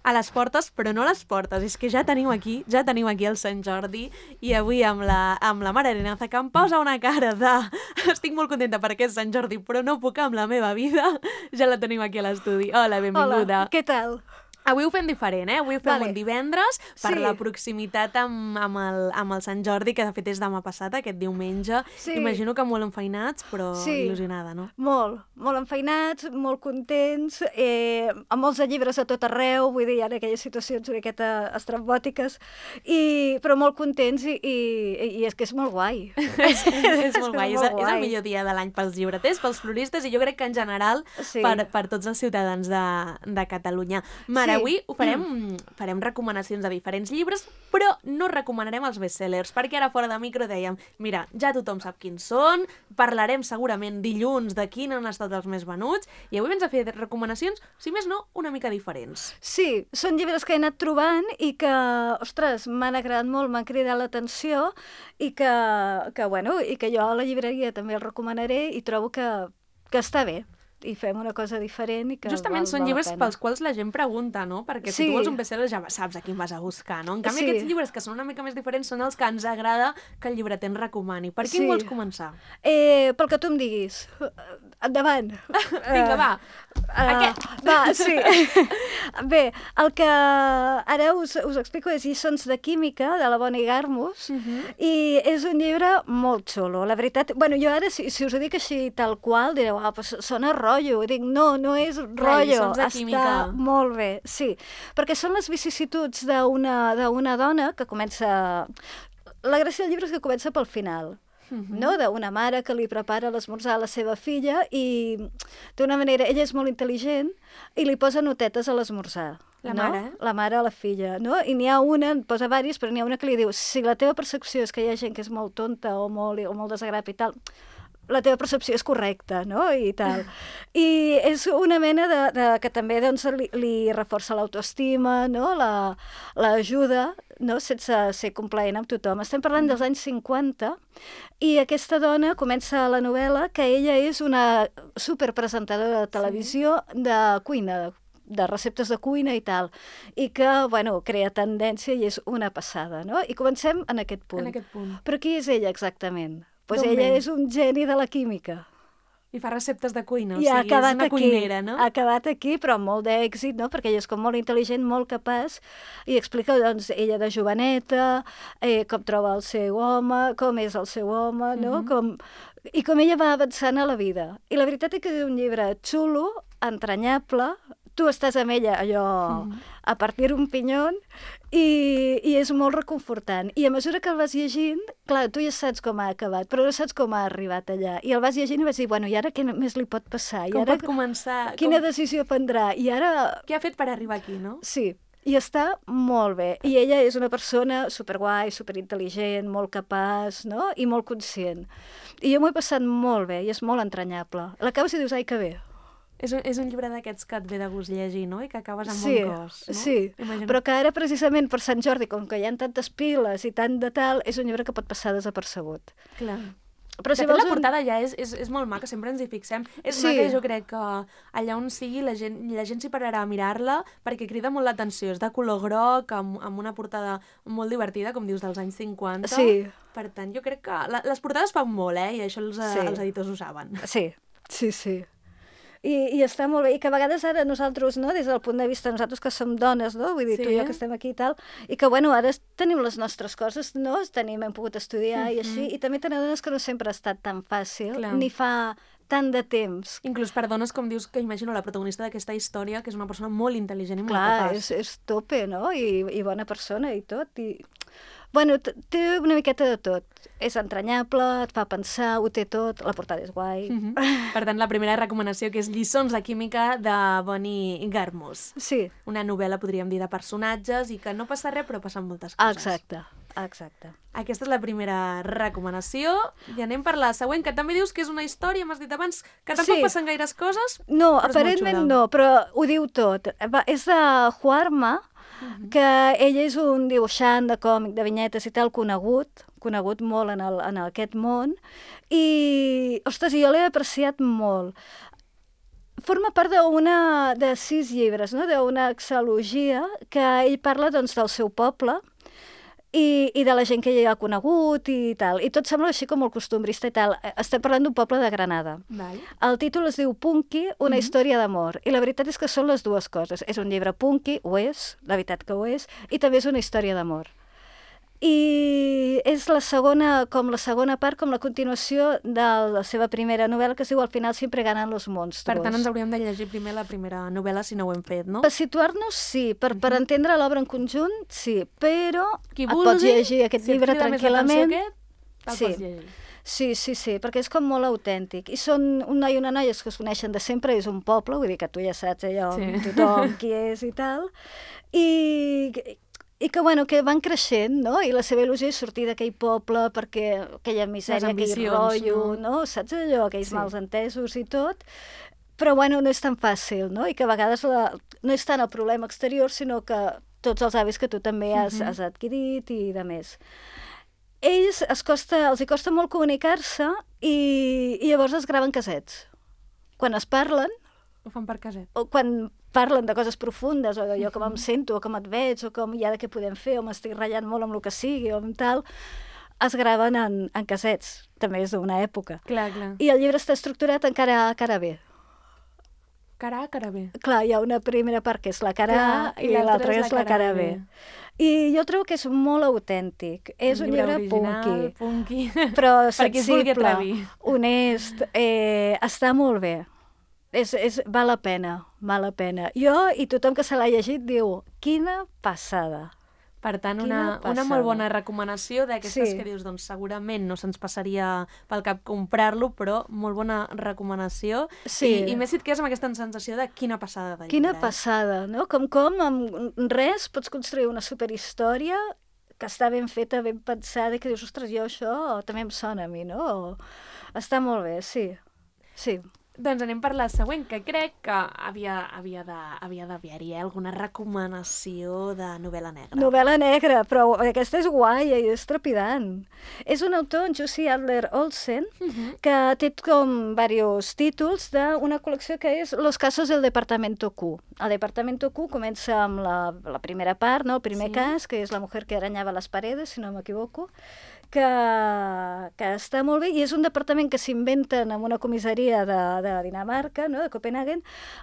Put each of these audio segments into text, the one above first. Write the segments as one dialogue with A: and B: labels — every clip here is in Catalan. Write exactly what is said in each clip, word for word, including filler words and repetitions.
A: a les portes, però no a les portes. És que ja tenim aquí, ja tenim aquí el Sant Jordi i avui amb la, amb la Mare Arenaza, que em posa una cara de... Estic molt contenta perquè és Sant Jordi, però no puc amb la meva vida. Ja la tenim aquí a l'estudi. Hola, benvinguda.
B: Hola, què tal?
A: Avui ho fem diferent, eh? Avui ho fem
B: Vale.
A: un divendres per
B: Sí.
A: la proximitat amb, amb, el, amb el Sant Jordi, que de fet és demà passat, aquest diumenge.
B: Sí.
A: Imagino que molt enfeinats, però
B: Sí.
A: il·lusionada, no?
B: Molt, molt enfeinats, molt contents, eh, amb molts de llibres a tot arreu, vull dir, hi ha aquelles situacions una miqueta estrambòtiques, i, però molt contents i, i, i és que és molt guai.
A: és, és molt guai, és,
B: molt
A: és el
B: guai.
A: millor dia de l'any pels llibreters, pels floristes i jo crec que en general
B: Sí.
A: per, per tots els ciutadans de, de Catalunya. Mare,
B: Sí.
A: avui ho farem, farem recomanacions de diferents llibres, però no recomanarem els bestsellers, perquè ara fora de micro dèiem, mira, ja tothom sap quins són, parlarem segurament dilluns de quins han estat els més venuts, i avui ens ha fet recomanacions, si més no, una mica diferents.
B: Sí, són llibres que he anat trobant i que, ostres, m'han agradat molt, m'han cridat l'atenció i que, que, bueno, i que jo a la llibreria també el recomanaré i trobo que, que està bé. I fem una cosa diferent i que
A: Justament
B: val,
A: són
B: val la
A: llibres
B: pena.
A: pels quals la gent pregunta, no? Perquè si
B: Sí.
A: tu vols un bestseller ja saps a quin vas a buscar, no? En canvi,
B: Sí.
A: aquests llibres que són una mica més diferents són els que ens agrada que el llibreter ens recomani. Per quin
B: Sí.
A: vols començar?
B: Eh, pel que tu em diguis. Endavant.
A: Vinga, va.
B: Uh,
A: Aquest.
B: Va, sí. Bé, el que ara us, us explico és Lliçons de química, de la Bonnie Garmus,
A: Mhm.
B: i és un llibre molt xulo. La veritat, bueno, jo ara, si, si us ho dic així tal qual, direu, ah, pues sona rotllo. I dic, no, no és rotllo.
A: Lliçons de
B: Està
A: química.
B: molt bé, sí. Perquè són les vicissituds d'una d'una dona que comença... La gràcia del llibre és que comença pel final.
A: Mhm.
B: No? D'una mare que li prepara l'esmorzar a la seva filla i d'una manera, ella és molt intel·ligent i li posa notetes a l'esmorzar.
A: La
B: no?
A: mare?
B: La mare a la filla, no? I n'hi ha una, en posa diverses, però n'hi ha una que li diu, si la teva percepció és que hi ha gent que és molt tonta o molt, o molt desagrable i tal, la teva percepció és correcta, no? I tal. I és una mena de, de que també doncs, li, li reforça l'autoestima, no? La, l'ajuda, no? Sense ser complaent amb tothom. Estem parlant dels anys cinquanta i aquesta dona comença la novel·la que ella és una superpresentadora de televisió sí. de cuina, de receptes de cuina i tal, i que, bueno, crea tendència i és una passada, no? I comencem en aquest punt.
A: En aquest punt.
B: Però qui és ella exactament? Pues
A: D'on
B: ella
A: ve?
B: és un geni de la química.
A: I fa receptes de cuina, o
B: I ha
A: sigui, és
B: acabat
A: una
B: aquí,
A: cuinera, no?
B: ha acabat aquí, però amb molt d'èxit, no? Perquè ella és com molt intel·ligent, molt capaç, i explica, doncs, ella de joveneta, eh, com troba el seu home, com és el seu home, no?
A: Mhm.
B: com... I com ella va avançant a la vida. I la veritat és que és un llibre xulo, entranyable, tu estàs amb ella allò
A: Mhm.
B: a partir un pinyón i, i és molt reconfortant. I a mesura que el vas llegint, clar, tu ja saps com ha acabat, però no saps com ha arribat allà. I el vas llegint i vas dir, bueno, i ara què més li pot passar? I
A: Com
B: ara,
A: pot començar?
B: quina
A: Com...
B: decisió prendrà? I ara,
A: Què ha fet per arribar aquí, no?
B: sí, i està molt bé. I ella és una persona superguai, superintel·ligent, molt capaç, no? I molt conscient. I jo m'ho he passat molt bé i és molt entranyable. L'acabes i dius, ai, que bé.
A: És un, és un llibre d'aquests que et ve de gust llegir, no? I que acabes amb
B: Sí,
A: bon cos, no?
B: sí,
A: Imagino...
B: però que ara precisament per Sant Jordi, com que hi ha tantes piles i tant de tal, és un llibre que pot passar desapercebut.
A: Clar.
B: Però
A: De
B: si
A: fet,
B: vols
A: la
B: un-
A: portada ja és, és, és molt maca, sempre ens hi fixem. És
B: Sí.
A: maca i jo crec que allà on sigui la gent, la gent s'hi pararà a mirar-la perquè crida molt l'atenció. És de color groc, amb, amb una portada molt divertida, com dius, dels anys cinquanta.
B: Sí.
A: Per tant, jo crec que la, les portades fan molt, eh? I això els,
B: Sí.
A: sí. els editors ho saben.
B: Sí, sí, sí. I, I està molt bé. I que a vegades ara nosaltres, no, des del punt de vista nosaltres que som dones, no, vull dir,
A: Sí.
B: tu i jo que estem aquí i tal, i que, bueno, ara es- tenim les nostres coses, no, tenim, hem pogut estudiar i així, i també tenim dones que no sempre ha estat tan fàcil,
A: Clar.
B: ni fa tant de temps.
A: Inclús per dones, com dius, que imagino la protagonista d'aquesta història, que és una persona molt intel·ligent i molt
B: Clar,
A: capaç.
B: és, és tope, no? I, i bona persona i tot. I... Bueno, t- té una miqueta de tot. És entranyable, et fa pensar, ho té tot, la portada és guai.
A: Mhm. Per tant, la primera recomanació, que és Lliçons de química de Bonnie Garmus.
B: Sí,
A: Una novel·la, podríem dir, de personatges i que no passa res, però passen moltes coses.
B: exacte, exacte.
A: Aquesta és la primera recomanació. I anem per la següent, que també dius que és una història, m'has dit abans, que tampoc
B: Sí.
A: passen gaires coses.
B: No,
A: Però és molt
B: aparentment
A: xula.
B: no, però ho diu tot. Va, és de Juarma, que ell és un dibuixant de còmic, de vinyetes i tal, conegut, conegut molt en, el, en aquest món, i, ostres, jo l'he apreciat molt. forma part d'una de sis llibres, no? D'una exalogia que ell parla doncs, del seu poble i, i de la gent que ell ha conegut i tal. I tot sembla així com molt costumbrista i tal. Estem parlant d'un poble de Granada.
A: Vale.
B: El títol es diu Punky, una mm-hmm. història d'amor. I la veritat és que són les dues coses. És un llibre punky, ho és, la veritat que ho és, i també és una història d'amor. I és la segona, com la segona part, com la continuació de la seva primera novel·la, que es diu Al final siempre ganan los monstruos.
A: Per tant, ens hauríem de llegir primer la primera novel·la si no ho hem fet, no?
B: Per situar-nos, sí. Per, uh-huh. per entendre l'obra en conjunt, sí. Però
A: Qui
B: et
A: vulgui,
B: pots llegir aquest
A: si
B: llibre tranquil·lament.
A: Aquest, te'l
B: sí.
A: pots llegir.
B: Sí, sí, sí, perquè és com molt autèntic. I són un noi i una noia que es coneixen de sempre, és un poble, vull dir que tu ja saps allò, sí. tothom qui és i tal. I... I que, bueno, que van creixent, no? I la seva il·lusió és sortir d'aquell poble perquè aquella misèria, aquell rotllo, no? no? Saps allò, aquells sí. mals entesos i tot. Però, bueno, no és tan fàcil, no? I que a vegades la... no és tant el problema exterior, sinó que tots els hàbits que tu també has, uh-huh. has adquirit i de més. Ells es costa, els hi costa molt comunicar-se i, i llavors es graven casets. Quan es parlen...
A: Ho fan per caset.
B: O quan parlen de coses profundes, o d'allò com em sento, o com et veig, o com ja de què podem fer, o m'estic ratllant molt amb el que sigui, o amb tal, es graven en, en casets. També és d'una època.
A: Clar, clar.
B: I el llibre està estructurat en cara A, cara B.
A: Cara A, cara B.
B: Clar, hi ha una primera part que és la cara
A: clar,
B: A i, i l'altra és la cara B. B. I jo trobo que és molt autèntic. És un, un llibre, llibre
A: original,
B: punky,
A: punky.
B: però
A: sensible,
B: honest, eh, està molt bé. És, és, val la pena, val la pena. Jo i tothom que se l'ha llegit diu, quina passada.
A: Per tant, una, una molt bona recomanació d'aquestes sí. que dius, doncs segurament no se'ns passaria pel cap comprar-lo, però molt bona recomanació.
B: Sí.
A: I, i més si et quedes amb aquesta sensació de quina passada de llibre.
B: Quina passada, no? Com com amb res pots construir una superhistòria que està ben feta, ben pensada, i que dius, ostres, jo això també em sona a mi, no? O... Està molt bé, sí. Sí.
A: Doncs anem per la següent, que crec que havia, havia de, havia d'haver-hi alguna recomanació de novel·la negra.
B: Novel·la negra, però aquesta és guai i és trepidant. És un autor, en Jussi Adler-Olsen, uh-huh. que té com diversos títols d'una col·lecció que és Los casos del Departamento Q. El Departamento Q comença amb la, la primera part, no? El primer sí. cas, que és la mujer que arañava les paredes, si no m'equivoco, que, que està molt bé, i és un departament que s'inventen en una comissaria de, de Dinamarca, no? De Copenhagen,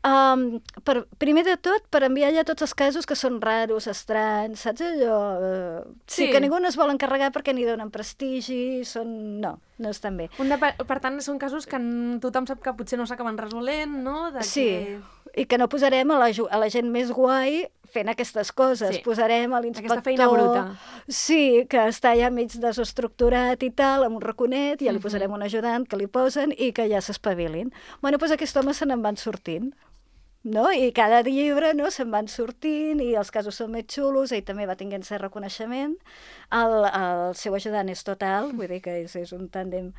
B: um, per, primer de tot per enviar allà tots els casos que són raros, estranys, saps allò? Uh, sí. sí, que ningú no es vol encarregar perquè ni donen prestigi, són... no, no estan bé.
A: Un de, per tant, són casos que tothom sap que potser no s'acaben resolent, no? De
B: sí,
A: que...
B: i que no posarem a la, a la gent més guai fent aquestes coses. Sí. Posarem a l'inspector...
A: Aquesta feina bruta.
B: Sí, que està ja mig desestructurat i tal, amb un raconet, i ja li posarem un ajudant que li posen i que ja s'espavilin. Bueno, doncs aquest home se n'en van sortint. No? I cada llibre, no, se'n van sortint i els casos són més xulos, ell també va tinguent cert reconeixement, el, el seu ajudant és total, vull dir que és, és un tàndem.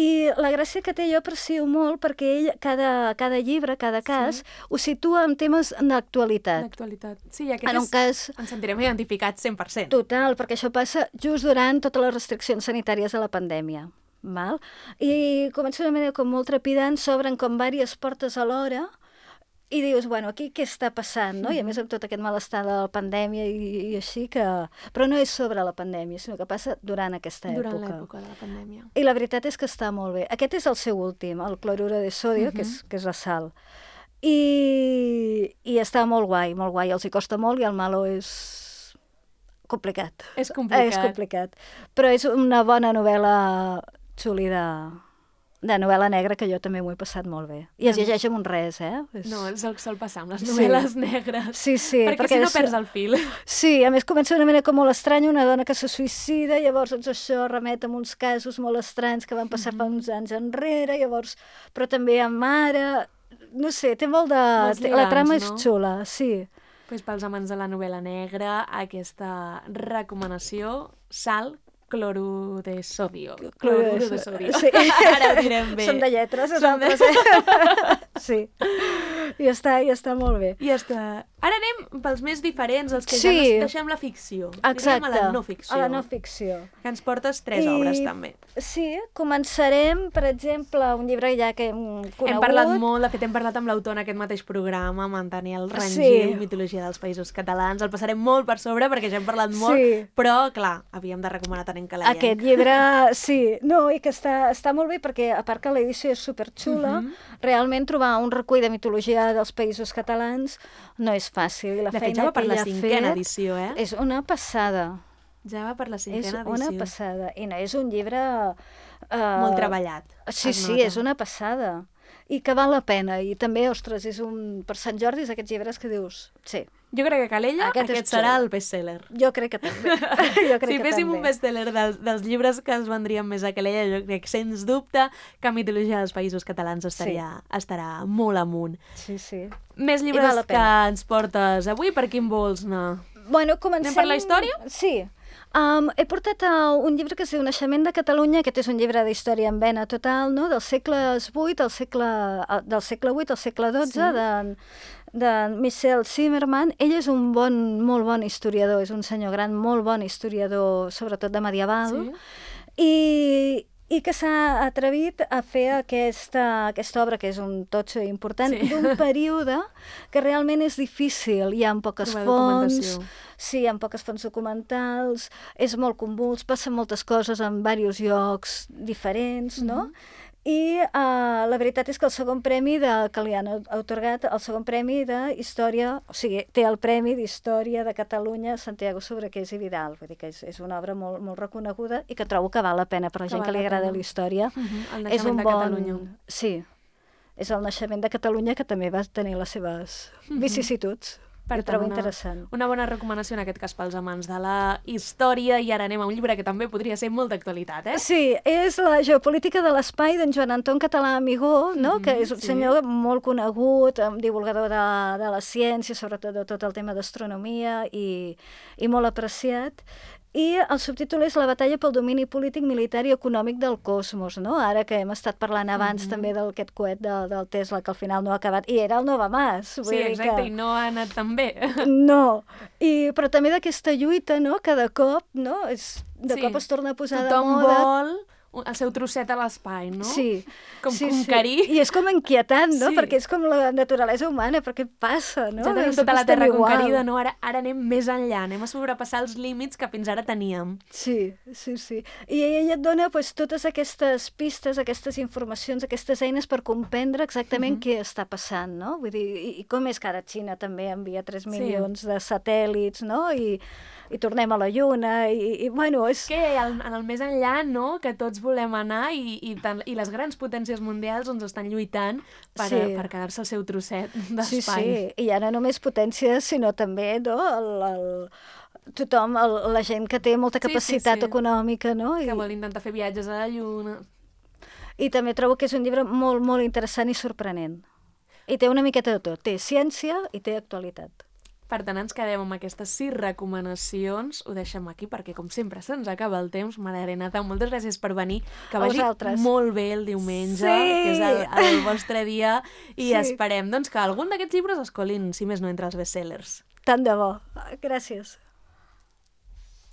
B: I la gràcia que té jo aprecio molt perquè ell, cada, cada llibre, cada cas, sí. ho situa en temes d'actualitat.
A: D'actualitat. Sí, i aquest
B: en un
A: és,
B: cas...
A: ens sentirem identificats cent per cent.
B: Total, perquè això passa just durant totes les restriccions sanitàries de la pandèmia. Val? I comença d'una manera com molt trepidant, s'obren com diverses portes alhora, i dius, bueno, aquí què està passant, no? I a més amb tot aquest malestar de la pandèmia i, i així que... Però no és sobre la pandèmia, sinó que passa durant aquesta
A: durant
B: època.
A: Durant l'època de la pandèmia.
B: I la veritat és que està molt bé. Aquest és el seu últim, el cloruro de sodio, uh-huh. que, és, que és la sal. I, I està molt guai, molt guai. Els hi costa molt i el malo és complicat.
A: És complicat.
B: És complicat. Però és una bona novel·la xuli de... de novel·la negra, que jo també m'ho he passat molt bé. I es llegeix amb un res, eh? És...
A: No, és el que sol passar amb les novel·les sí. negres.
B: Sí, sí.
A: Perquè, perquè si no és... perds el fil.
B: Sí, a més comença d'una manera com molt estranya, una dona que se suïcida, llavors doncs, això remet a uns casos molt estranys que van passar mm-hmm. fa uns anys enrere, llavors, però també amb mare... No sé, té molt de... Lligams, la trama és no? xula, sí.
A: Pues pels amants de la novel·la negra, aquesta recomanació, Sal, clorur de sodio. Clorur de sodio.
B: Sí.
A: Ara ho direm bé.
B: Som de lletres, nosaltres, de... eh? Sí. I està, i està molt bé.
A: I està... Ara anem pels més diferents, els que
B: Sí.
A: ja no deixem la ficció.
B: Exacte,
A: Anem a la no ficció.
B: a la no ficció.
A: Que ens portes tres
B: I-
A: obres, també.
B: Sí, començarem, per exemple, un llibre ja que hem conegut.
A: Hem parlat molt, de fet hem parlat amb l'autor en aquest mateix programa, amb en Daniel Rangel,
B: Sí.
A: Mitologia dels Països Catalans. El passarem molt per sobre perquè ja hem parlat molt,
B: Sí.
A: però, clar, havíem de recomanar tant en Calaienc.
B: Aquest llibre, sí, no, i que està, està molt bé perquè, a part que l'edició és superxula,
A: Mhm.
B: realment trobar un recull de mitologia dels països catalans no és fàcil. I la
A: De fet,
B: feina
A: ja va per
B: que
A: la
B: ell ha
A: cinquena
B: fet
A: edició, eh?
B: És una passada.
A: Ja va per la
B: És
A: cinquena
B: una
A: edició.
B: passada. I no és un llibre... Uh,
A: Molt treballat.
B: Sí,
A: es
B: sí,
A: nota.
B: és una passada. I que val la pena. I també, ostres, és un... Per Sant Jordi és aquests llibres que dius... Sí,
A: Jo crec que Calella
B: Aquest
A: aquest,
B: és
A: serà
B: xulo.
A: el best-seller.
B: jo crec que també. jo crec
A: Si
B: que
A: féssim
B: també.
A: un best-seller dels, dels llibres que es vendrien més a Calella, jo crec, sens dubte, que Mitologia dels Països Catalans estaria, estarà molt amunt.
B: Sí, sí.
A: Més
B: val
A: llibres
B: la
A: que
B: pena.
A: ens portes avui, per quin vols anar?
B: Bueno, comencem...
A: Anem per la història?
B: Sí. Um, he portat uh, un llibre que es diu Naixement de Catalunya. Aquest és un llibre d'història en vena total, no? Dels segles vuit al segle, uh, del segle vuit al segle dotze,
A: Sí.
B: de, de Michel Zimmermann. Ell és un bon, molt bon historiador, és un senyor gran, molt bon historiador, sobretot de medieval.
A: Sí?
B: I, i que s'ha atrevit a fer aquesta, aquesta obra, que és un totxo important,
A: Sí.
B: d'un període que realment és difícil. Hi ha poques
A: Trobar
B: fonts,
A: documentació.
B: sí, hi ha poques fonts documentals, és molt convuls, passen moltes coses en diversos llocs diferents, no? I uh, la veritat és que el segon premi de, que li han atorgat, el segon premi d'història, o sigui, té el Premi d'Història de Catalunya Santiago Sobrequés i Vidal, vull dir que és, és una obra molt, molt reconeguda i que trobo que val la pena per la
A: Que
B: gent
A: val
B: que li
A: la
B: agrada
A: pena.
B: la història.
A: Mhm, el
B: És
A: naixement
B: un
A: de
B: bon...
A: Catalunya.
B: Sí, és el naixement de Catalunya que també va tenir les seves vicissituds.
A: Per
B: Ho
A: tant,
B: trobo
A: una,
B: interessant.
A: una bona recomanació en aquest cas pels amants de la història. I ara anem a un llibre que també podria ser molt d'actualitat, eh?
B: Sí, és la geopolítica de l'espai d'en Joan Anton Català Amigó, no?
A: Mhm,
B: que és un
A: sí.
B: senyor molt conegut, um, divulgador de, de la ciència, sobretot de tot el tema d'astronomia, i, i molt apreciat. I el subtítol és La batalla pel domini polític, militar i econòmic del cosmos, no? Ara que hem estat parlant abans
A: Mhm.
B: també d'aquest coet de, del Tesla, que al final no ha acabat, i era el Nova Mas. Vull
A: Sí,
B: dir
A: exacte,
B: que...
A: i no ha anat tan bé.
B: No, I, però també d'aquesta lluita, no?, que de cop, no?, és, de
A: Sí.
B: cop es torna a posar
A: Tothom
B: de moda.
A: vol un- el seu trosset a l'espai, no?
B: Sí.
A: Com
B: sí,
A: conquerir.
B: Sí. I és com inquietant, no?,
A: Sí.
B: perquè és com la naturalesa humana, però què passa, no?
A: Ja tenim
B: Sempre
A: tota la
B: estem
A: terra
B: igual.
A: conquerida, no? Ara, ara anem més enllà, anem a sobrepassar els límits que fins ara teníem.
B: Sí, sí, sí. I ella et dona pues, totes aquestes pistes, aquestes informacions, aquestes eines per comprendre exactament
A: Mhm.
B: què està passant, no? Vull dir, i, i com és que ara Xina també envia tres
A: Sí.
B: milions de satèl·lits, no? I, i tornem a la Lluna, i, i bueno, és...
A: Que el, en el més enllà, no?, que tots volem anar i, i, tant, i les grans potències mundials doncs estan lluitant per,
B: Sí.
A: per quedar-se el seu trosset
B: Sí,
A: d'espai.
B: sí, i ja no només potències, sinó també no, el, el, tothom, el, la gent que té molta
A: Sí, sí,
B: capacitat
A: sí.
B: econòmica, no? I,
A: Que vol intentar fer viatges a la Lluna.
B: I també trobo que és un llibre molt, molt interessant i sorprenent. I té una miqueta de tot. Té ciència i té actualitat.
A: Per tant, ens quedem amb aquestes sis recomanacions. Ho deixem aquí perquè, com sempre, se'ns acaba el temps. Mare Renata, moltes gràcies per venir. Que
B: A
A: vagi
B: vosaltres.
A: molt bé el diumenge,
B: Sí!
A: que és el, el vostre dia, i
B: Sí.
A: esperem doncs, que algun d'aquests llibres es colin, si més no, entre els bestsellers.
B: Tant de bo. Gràcies.